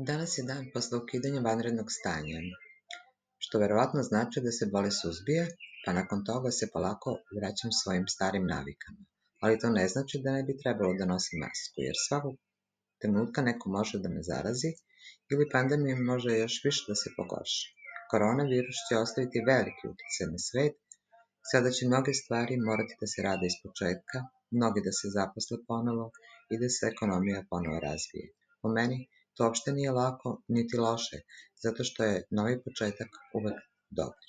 Danas je dan posle ukidanja vanrednog stanja, što verovatno znači da se bolest suzbija, pa nakon toga se polako vraćam svojim starim navikama. Ali to ne znači da ne bi trebalo da nosim masku, jer svakog trenutka neko može da me zarazi ili pandemija može još više da se pogorša. Koronavirus će ostaviti veliki uticaj na svet, sada će mnoge stvari morati da se rade ispočetka, mnogi da se zaposle ponovo i da se ekonomija ponovo razvije. Po meni, to uopšte nije lako niti loše, zato što je novi početak uvek dobar.